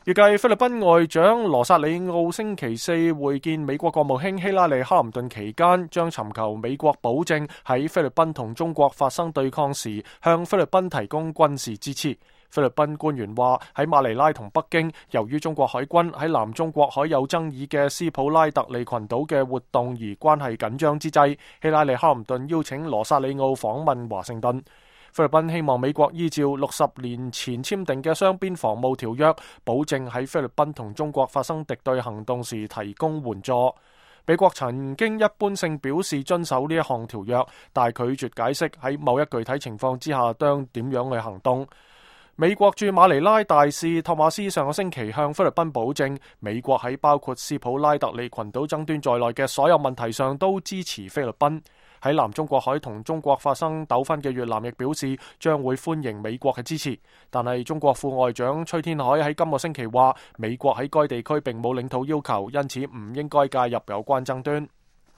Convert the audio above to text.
預計菲律賓外長羅薩里奧星期四會見美國國務卿希拉里·克林頓期間，將尋求美國保證喺菲律賓同中國發生對抗時，向菲律賓提供軍事支持。菲律賓官員話，喺馬尼拉同北京，由於中國海軍喺南中國海有爭議嘅斯普拉特利群島嘅活動而關係緊張之際，希拉里·克林頓邀請羅薩里奧訪問華盛頓。菲律賓希望美國依照60年前簽訂嘅雙邊防務條約，保證喺菲律賓同中國發生敵對行動時提供援助。美國曾經一般性表示遵守呢一項條約，但拒絕解釋喺某一具體情況之下將點樣去行動。美國駐馬尼拉大使托馬斯上個星期向菲律賓保證，美國喺包括斯普拉特利群島爭端在內嘅所有問題上都支持菲律賓。喺南中國海同中國發生糾紛嘅越南亦表示將會歡迎美國嘅支持，但係中國副外長崔天凱喺今個星期話，美國喺該地區並冇領土要求，因此唔應該介入有關爭端。